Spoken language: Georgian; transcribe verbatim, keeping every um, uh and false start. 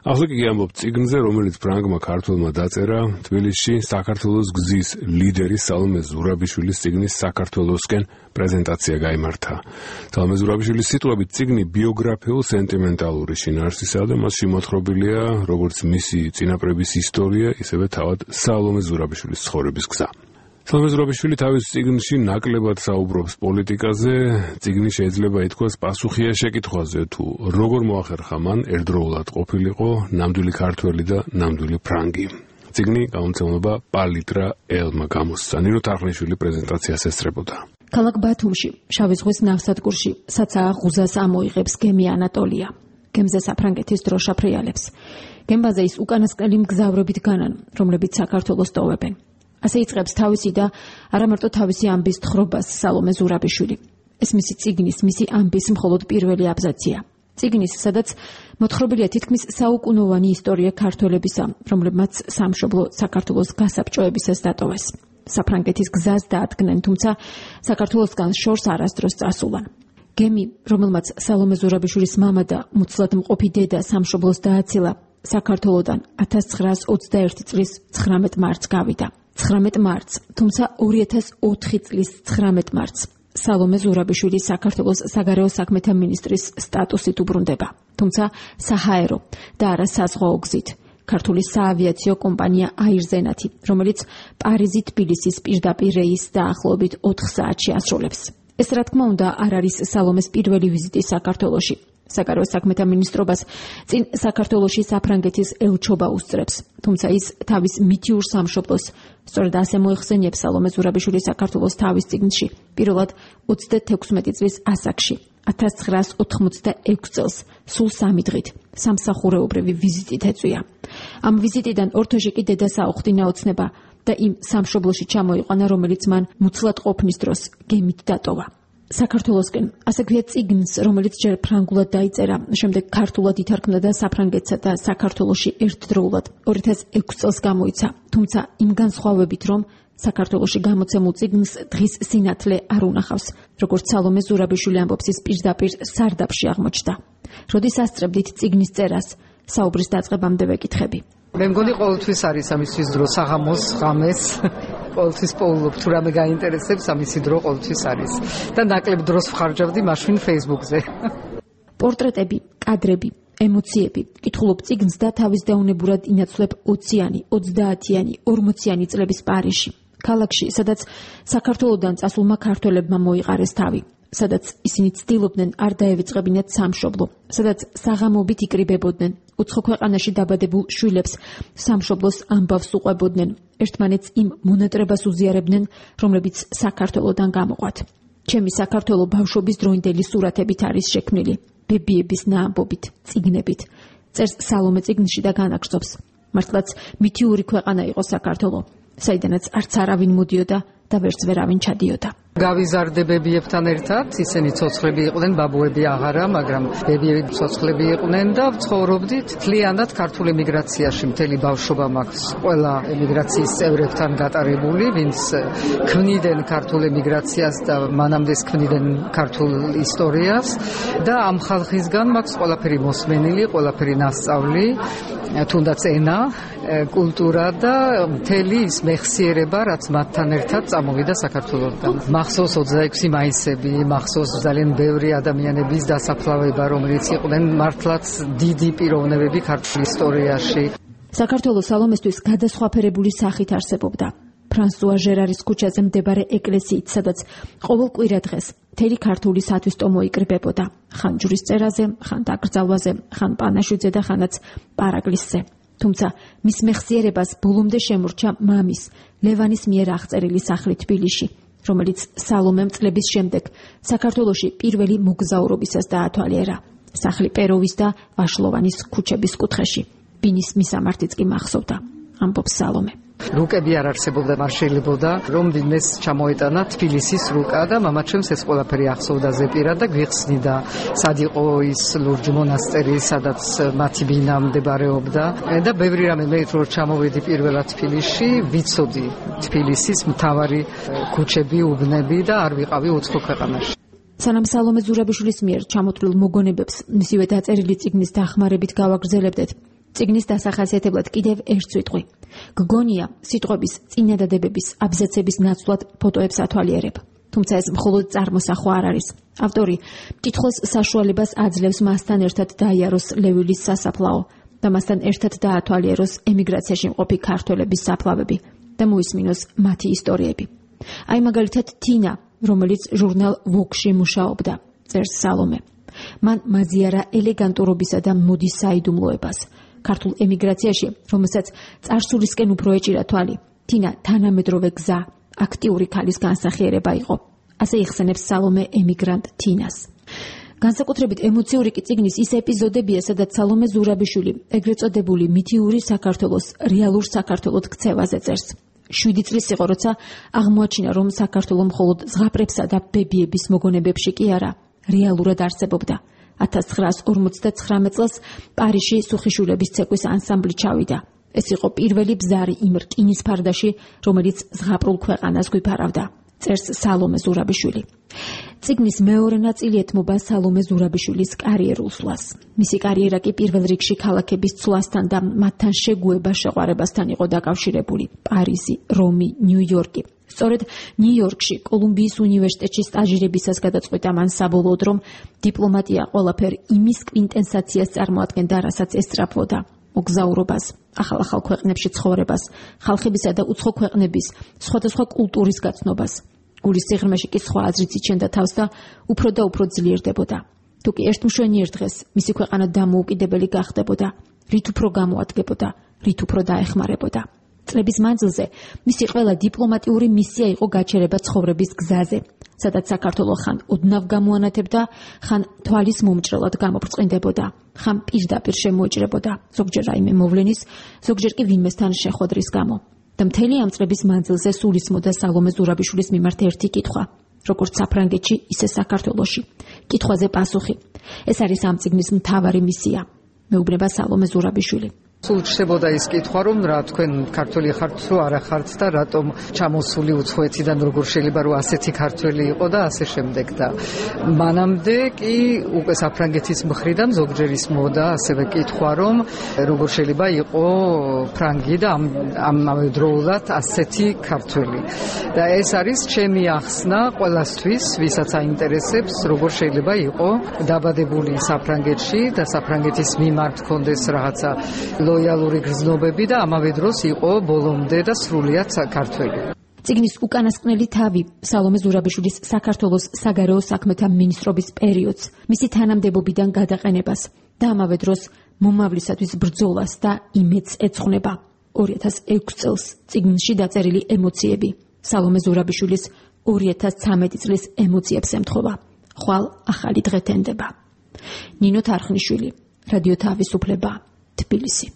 ახლა კი ამბობ წიგნზე, რომელიც ფრანგმა ქართველმა დაწერა თბილისში საქართველოს გზის ლიდერის სალომე ზურაბიშვილის წიგნის საქართველოსკენ პრეზენტაცია გაიმართა. სალომე ზურაბიშვილის სიტყვებით წიგნი ბიოგრაფიულ-სენტიმენტალური შინაარსისაა და მასში მოთხრობილია როგორც მისი წინაპრების ისტორია, ისევე თავად სალომე ზურაბიშვილის ცხოვრების გზა. სალომე ზურაბიშვილი თავის წიგნში ნაკლებად საუბრობს პოლიტიკაზე, წიგნი შეიძლება ითქვას პასუხია შეკითხვაზე, თუ როგორ მოახერხა მან ერთდროულად ყოფილიყო ნამდვილი ქართველი და ნამდვილი ფრანგი. წიგნი გამომცემლობა პალიტრა ელმა გამოსცა. ნინო თარხნიშვილი პრეზენტაციას ესწრებოდა. ქალაქ ბათუმში, შავი ზღვის ნავსადგურში, საცაა ღუზას ამოიღებს გემი ანატოლია. გემზე საფრანგეთის დროშა ფრიალებს. გემბაზე ის უკანასკნელი მგზავრობით განან, რომლებიც საქართველოს ტოვებენ. ასე იწყებს თავისი და არამარტო თავისი ამბის თხრობას სალომე ზურაბიშვილი. ეს მისი წიგნის, მისი ამბის მხოლოდ პირველი აბზაცია. წიგნის, სადაც მოთხრობილია თითქმის საუკუნოვანი ისტორია ქართველებისა, რომლებმაც სამშობლო საქართველოს გასაბჭოებისას დატოვეს. საფრანგეთის გზას დაადგნენ, თუმცა საქართველოსგან შორს არასდროს წასულან. გემი, რომელმაც სალომე ზურაბიშვილის მამა და მუცლად მყოფი დედა სამშობლოს დააცილა, საქართველოდან ათას ცხრაას ოცდაერთი წლის ცხრამეტ მარტს გავიდა. ცხრამეტ მარტს, თუმცა ორი ათას ოთხი წლის ცხრამეტ მარტს სალომე ზურაბიშვილი საქართველოს საგარეო საქმეთა მინისტრის სტატუსით უბრუნდება, თუმცა საჰაერო და არა საზღვაო გზით. ქართული საავიაციო კომპანია აირზენათი, რომელიც პარიზი-თბილისის პირდაპირ რეისს დაახლოებით ოთხ საათში ასრულებს. ეს რა თქმა უნდა არ არის სალომეს პირველი ვიზიტი საქართველოში. საგარეო საქმეთა მინისტრობას წინ საქართველოში საფრანგეთის ელჩობა უსწრებს, თუმცა ის თავის მითიურ სამშობლოს, სწორედ ასე მოიხსენიებს სალომე ზურაბიშვილი საქართველოს თავის წიგნში, პირველად ოცდათექვსმეტი წლის ასაკში, ათას ცხრაას ოთხმოცდაექვსი წელს, სულ სამი დღით, სამსახურეობრივი ვიზიტით ეწვია. ამ ვიზიტიდან ორთოშიკი დედას აუხდინა ოცნება და იმ სამშობლოში ჩამოიყვანა, რომელიც მან მუცლად ყოფნის დროს გემით დატოვა. საქართველოსკენ, ასე ქვია წიგნს, რომელიც ჯერ ფრანგულად დაიწერა, შემდეგ ქართულად ითარგმნა და საფრანგეთსა და საქართველოში ერთდროულად ორი ათას ექვსი წელს გამოიცა, თუმცა იმ განსხვავებით, რომ საქართველოში გამოცემულ წიგნს დღის სინათლე არ უნახავს, როგორც სალომე ზურაბიშვილი ამბობს, ის პირდაპირ სარდაფში აღმოჩნდა. როდის ასწრებდით წიგნის წერას, საუბრის დაწყებამდე ვეკითხები. მე მგონი ყოველთვის არის ამისთვის დრო, საღამოს, ღამეს, ყოველთვის პოულობ, თუ რამე გაინტერესებს, ამისი დრო ყოველთვის არის. და ნაკლებ დროს ვხარჯავდი მაშინ Facebook-ზე. პორტრეტები, კადრები, ემოციები, კითხულობ წიგნს და თავის დაუნებურად ინაცვლებ ოციანი, ოცდაათიანი, ორმოციანი წლების პარიზში. ქალაქში, სადაც საქართველოდან წასულმა ქართველებმა მოიყარეს თავი, სადაც ისინი ცდილობდნენ არ დაევიწყებინათ სამშობლო, სადაც საღამობით იკრიბებოდნენ, უცხო ქვეყანაში დაბადებულ შვილებს სამშობლოს ამბავს უყვებოდნენ, ერთმანეთს იმ მონატრებას უზიარებდნენ, რომლებიც საქართველოდან გამოყვათ. ჩემი საქართველო ბავშვობის დროინდელი სურათებით არის შექმნილი, ბებიების ნაამბობით, წიგნებით. წერს სალომე წიგნში და განაგრძობს. მართლაც მითიური ქვეყანა იყო საქართველო, საიდანაც არც არავინ მოდიოდა და ვერც ვერავინ ჩადიოდა. გავიზარდებებიებთან ერთად, ისინი ცოცხლები იყვნენ, ბაბუები აღარა, მაგრამ ბებიები ცოცხლები იყვნენ და ცხოვრობდით მთლიანად ქართულ ემიგრაციაში. მთელი ბავშვობა მაქვს ყველა ემიგრაციის წევრებთან გატარებული, ვინც ქმნიდნენ ქართულ ემიგრაციას და მანამდეც ქმნიდნენ ქართულ ისტორიას და ამ ხალხისგან მაქვს ყველაფერი მოსმენილი, ყველაფერი ნასწავლი, თუნდაც ენა, კულტურა და მთელი ის მეხსიერება, რაც მათთან ერთად წამოვიდა საქართველოდან. მახსოვს ოცდაექვსი მაისები, მახსოვს ძალიან ბევრი ადამიანების დასაფლავება, რომელიც იყვნენ მართლაც დიდი პიროვნებები ქართულ ისტორიაში. საქართველოს სალომესთვის გადასხვაფერებული სახით არსებობდა. ფრანსუა ჟერარის ქუჩაზე მდებარე ეკლესიით, სადაც ყოველ კვირა დღეს მთელი ქართული სათვისტო მოიკრიბებოდა, ხან ჯვრის წერაზე, ხან დაკრძალვაზე, ხან პანაშვიდზე და ხანაც პარაკლისზე. თუმცა მის მეხსიერებას ბოლომდე შემორჩა მამის, ლევანის მიერ აღწერილი სახლი თბილისში, რომელიც სალომემ წლების შემდეგ საქართველოში პირველი მოგზაურობისას დაათვალიერა. სახლი პეროვის და ვაშლოვანის ქუჩების კუთხეში. ბინის მისამართიც კი მახსოვდა, ამბობს სალომე. რუკები არ არსებობდა, არ შეიძლებოდა რომ ვინმეს ჩამოეტანა თბილისის რუკა და მამაჩემს ეს ყველაფერი ახსოვდა ზეპირა და გვიხსნიდა სად იყო ის ლურჯ მონასტერი, სადაც მათი ბინა მდებარეობდა და ბევრი რამე. მე რო ჩამოვედი პირველად თბილისში, ვიცოდი თბილისის მთავარი ქუჩები, უბნები და არ ვიყავი უცხო ქვეყანაში. სანამ სალომე ზურაბიშვილის მიერ ჩამოთვლილ მოგონებებს მისივე დაწერილი წიგნის დახმარებით გავაგრძელებდეთ, წიგნის დასახასიათებლად კიდევ ერთ სიტყვი. გგონია სიტყვების წინადადებების აბზაცების ნაცვლად ფოტოებს ათვალიერებ. თუმცა ეს მხოლოდ წარმოსახვა არ არის. ავტორი მკითხველს საშუალებას აძლევს მასთან ერთად დაიაროს ლევილის სასაფლაო და მასთან ერთად დაათვალიეროს ემიგრაციაში მყოფი ქართველების საფლავები და მოისმინოს მათი ისტორიები. აი მაგალითად თინა, რომელიც ჟურნალ ვოგში მუშაობდა, წერს სალომე. მან მაზიარა ელეგანტურობისა და მოდის საიდუმლოებას. ქართულ ემიგრაციაში, რომელსაც წარსულისკენ უფრო ეჭირა თვალი, თინა თანამედროვე გზა, აქტიური ქალის განსახიერება იყო. ასე იხსენებს სალომე ემიგრანტ თინას. განსაკუთრებით ემოციური კი წიგნის ის ეპიზოდებია, სადაც სალომე ზურაბიშვილი, ეგრეთ წოდებული მითიური საქართველოს რეალურ საქართველოდ ქცევაზე წერს. შვიდი წლის იყო, როცა აღმოაჩინა, რომ საქართველო მხოლოდ ზღაპრებსა და ბებიების მოგონებებში კი არა, რეალურად არსებობდა. ათას ცხრაას ორმოცდაცხრამეტ წელს პარიზში სუხიშვილების ცეკვის ანსამბლი ჩავიდა. ეს იყო პირველი ბზარი იმ რკინის ფარდაში, რომელიც ზღაპრულ ქვეყანას გვიფარავდა. წერს სალომე ზურაბიშვილი. წიგნის მეორე ნაწილი ეთმობა სალომე ზურაბიშვილის კარიერულ სვლას. მისი კარიერა კი პირველ რიგში ქალაქების ცვლასთან და მათთან შეგუება შეყვარებასთან იყო დაკავშირებული. პარიზი, რომი, ნიუ-იორკი. სწორედ ნიუ-იორკში კოლუმბიის უნივერსიტეტში სტაჟირებისას გადაწყვიტა მან საბოლოოდ, რომ დიპლომატია ყველაფერ იმის კვინტენსაციას წარმოადგენდა, რასაც ესწრაფვოდა. მოგზაურობას, ახალ-ახალ ქვეყნებში ცხოვრებას, ხალხებისა და უცხო ქვეყნების სხვადასხვა კულტურის გაცნობას. გულის სიღრმეში კი სხვა აზრიც იჩენდა თავს და უფრო და უფრო ძლიერდებოდა. თუკი ერთმშვენიერ დღეს მისი ქვეყანა დამოუკიდებელი გახდებოდა, რით უფრო გამოადგებოდა, რით უფრო დაეხმარებოდა. წლების მანძილზე მისი ყველა დიპლომატიური მისია იყო გაჩერება ცხოვრების გზაზე, სადაც საქართველო ხან ოდნავ გამოანათებდა, ხან თვალის მომჭრელად გამობრწყინდებოდა, ხან პირდაპირ შემოეჭრებოდა, ზოგჯერ რაიმე მოვლენის, ზოგჯერ კი ვინმესთან შეხვედრის გამო. და მთელი ამ წლების მანძილზე სულისმოდა სალომე ზურაბიშვილის მიმართ ერთი კითხვა, როგორც საფრანგეთში, ისე საქართველოში. კითხვაზე პასუხი. ეს არის ამ წიგნის მთავარი მისია, მეუბნება სალომე ზურაბიშვილი. სულ ჩნდებოდა ის კითხვა, რომ რა თქვენ ქართველი ხართ თუ არა ხართ და რატომ ჩამოსული უცხოეთიდან როგორ შეიძლება რომ ასეთი ქართველი იყო და ასე შემდეგ და მანამდე კი უკვე საფრანგეთის მხრიდან ზოგჯერ ისმოდა ასევე კითხვა, რომ როგორ შეიძლება იყო ფრანგი და ამავე დროულად ასეთი ქართველი. და ეს არის ჩემი ახსნა ყველასთვის, ვისაც აინტერესებს, როგორ შეიძლება იყო დაბადებული საფრანგეთში და საფრანგეთის მიმართ ჰქონდეს რაღაცა ლოიალური გრძნობები და ამავე დროს იყო ბოლომდე და სრულიად საქართველო. წიგნის უკანასკნელი თავი სალომე ზურაბიშვილის საქართველოს საგარეო საქმეთა მინისტრობის პერიოდს, მისი თანამდებობიდან გადაყენებას და ამავე დროს მომავლისათვის ბრძოლას და იმედს ეძღვნება. ორი ათას ექვსი წელს წიგნში დაწერილი ემოციები სალომე ზურაბიშვილის ორი ათას ცხრამეტი წლის ემოციებს ემთხვევა. ხვალ ახალი დღე თენდება. ნინო თარხნიშვილი, რადიო თავისუფლება, თბილისი.